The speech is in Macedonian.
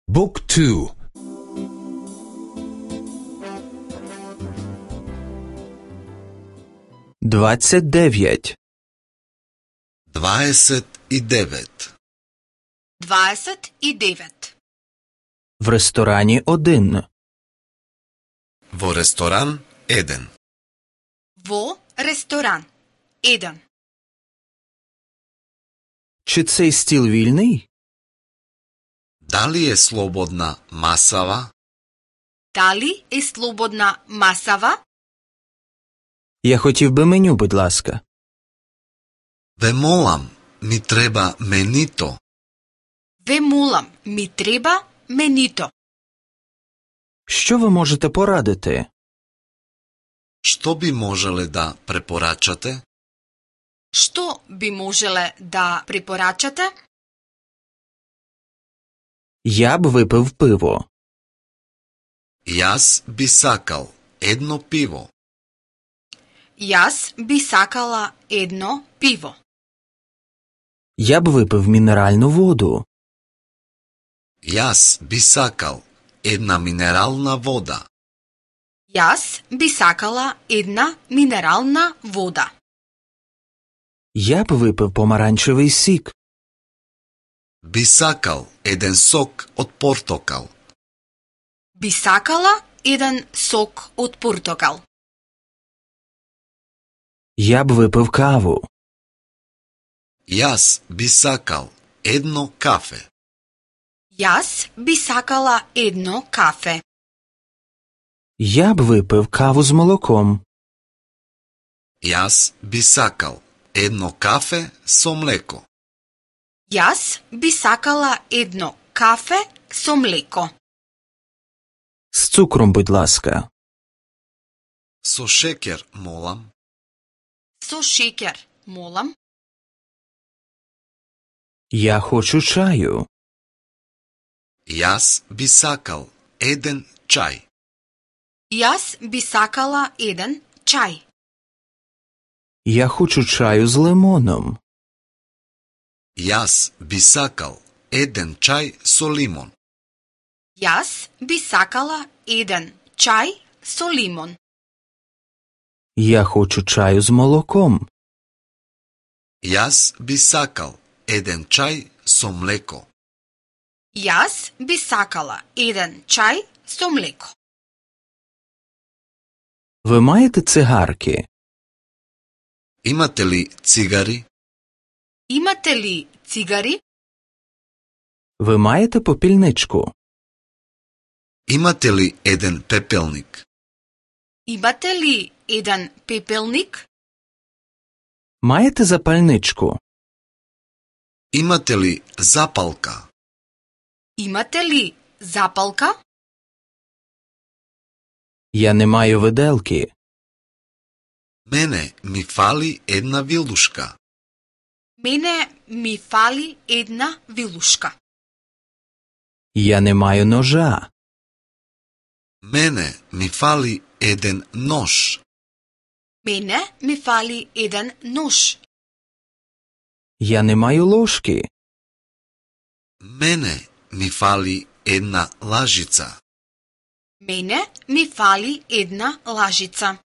Book 2. 29. 29. 29. В ресторані 1. Во ресторан 1. Во ресторан 1. Чи цей стіл вільний? Дали е слободна масава? Дали е слободна масава? Я хотів би меню, будь ласка. Ве молам, ми треба менито. Ве молам, ми треба менито. Що ви можете порадити? Што би можеле да препорачате? Што би можеле да препорачате? Я б випив пиво. Јас би сакал едно пиво. Јас би сакала едно пиво. Я б випив мінеральну воду. Јас би сакал една минерална вода. Јас би сакала една минерална вода. Я б випив помаранчевий сік. Би сакал еден сок од портокал. Би сакала еден сок од портокал. Я б випив каву. Јас би сакал едно кафе. Јас би сакала едно кафе. Я б випив каву з молоком. Јас би сакал едно кафе со млеко. Јас би сакала едно кафе со млеко. З цукром, будь ласка. Со шекер, молам. Со шекер, молам. Я хочу чаю. Јас би сакал еден чај. Јас би сакала еден чај. Я хочу чаю з лимоном. Јас би сакал еден чај со лимон. Јас би сакала еден чај со лимон. Я хочу чаю з молоком. Јас би сакал еден чај со млеко. Јас би сакала еден чај со млеко. Ви маєте цигарки? Имате ли цигари? Имате ли цигари? Ви маєте попільничку? Имате ли еден пепелник? Имате ли еден пепелник? Маєте запальничку? Имате ли запалка? Имате ли запалка? Я не маю виделки. Мене ми фали една вилушка. Мене ми фали една вилушка. Я не маю ножа. Мене ми фали еден нож. Мене ми фали еден нож. Я не маю ложки. Мене ми фали една лажица. Мене ми фали една лажица.